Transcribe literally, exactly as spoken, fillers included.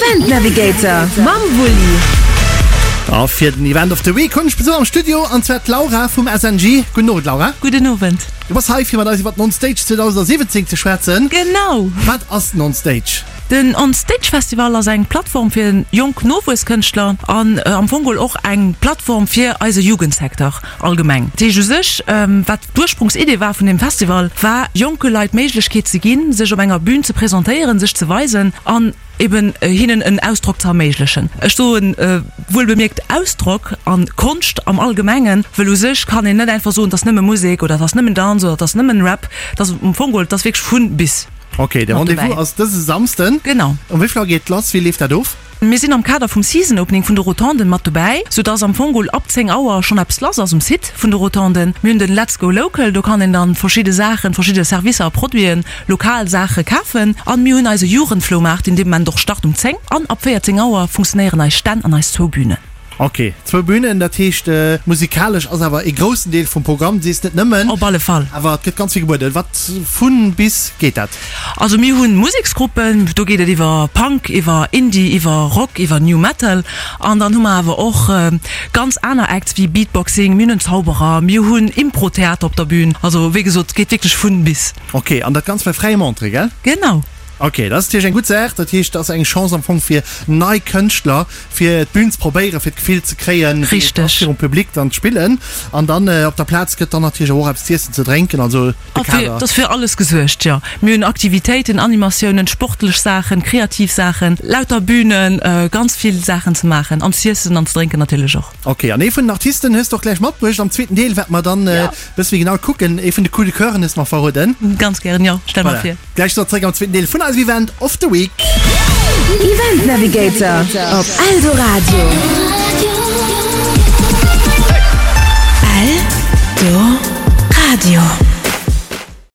Event Navigator mam Wulli. A fir den Event of the Week hunn ech Besuch am Studio, an zwar d'Laura vum S N G. Gudden Owend, Laura. Gudden Owend. Du bass hei fir mat eis iwwer den On Stage zweedausendsiwwenzéng ze schwätzen. Genau. Wat ass den On Stage? Den On Stage Festival ass eng Plattform fir jonk Nowuesskënschtler an am Fong geholl och eng Plattform fir eise Jugendsecteur allgemeng. Dat heescht u sech, wat d'Ursprungsidee war vun deem Festival, war jonke Leit d'Méiglechkeet ze ginn, sech op enger Bün ze presentéieren, sech ze weisen an eben hinnen en Ausdrock ze erméiglechen. Ech soen wuelbemierkt Ausdrock an Konscht am Allgemengen, wëll u sech kann een net einfach soen, et ass nëmme Musek oder et ass nëmmen Danz oder et ass nëmmen Rap. Et ass am Fong geholl, et ass wierklech vun bis. Ok, de mat Rendez-vous dobäi. Ass dëse Samsden. Genau. Um wéi vill Auer geet et lass? Wéi leeft dat of? Mir sinn am Kader vum Season Opening vun de Rotonden mat dobäi, sou dass am Fong geholl ab zéng Auer schonn eppes lass ass um Site vun de Rotonden. Mir hunn den Let's Go Local, do kann een dann verschidde Saachen, verschidde Servicer a Produiten, lokal Saache kafen. An mir hunn eise Jugendfloumaart, deen dee Moment och start um zéng. An ab véierzéng Auer funktionéieren eis Stänn an eis zwou Bünen. Ok, zwou Bünen, dat heescht musikalesch ass awer ee groussen Deel vum Programm, du sees net nëmmen. Op alle Fall. Awer et gëtt ganz vill gebueden. Wat vu bis geet dat? Also mir hunn Museksgruppen, do geet et iwwer Punk, iwwer Indie, iwwer Rock, iwwer New Metal. An dann hu mer awer och ganz aner Acts wéi Beatboxing, mir hunn en Zauberer, mir hunn Impro-Theater op der Bühn. Also wéi gesot, et geet wierklech vun bis. Ok, an dat Ganzt bei fräiem Entrée, gell? Genau. Ok, dat ass natierlech eng gutt Saach. Dat heescht, dat ass eng Chance am Fong fir nei Kënschtler, fir d'Bün ze probéieren, fir d'Gefill ze kréien, wéi et ass, Richteg. virum Public dann ze spillen. An dann op der Plaz gëtt dann natierlech och eppes z'iessen, ze drénken, also de A fir, Kader. et ass fir alles gesuergt, jo. Mir hunn Aktivitéiten, Animatiounen, sportlech Saachen, kreativ Saachen, lauter Bünen, ganz vill Saachen ze maachen an z'iessen an ze drénken natierlech och. Ok, an ee vun den Artisten hues de och gläich matbruecht am zweeten Deel, wäerte mer dann e bësse méi genau kucken. Ee vun de Coup de Coeuren hues de mer verroden. Ganz gären, jo, stell mer Voilà, vir. gläich so zréck am zweeten Deel vun eisem Event of the Week. Event Navigator op Eldoradio.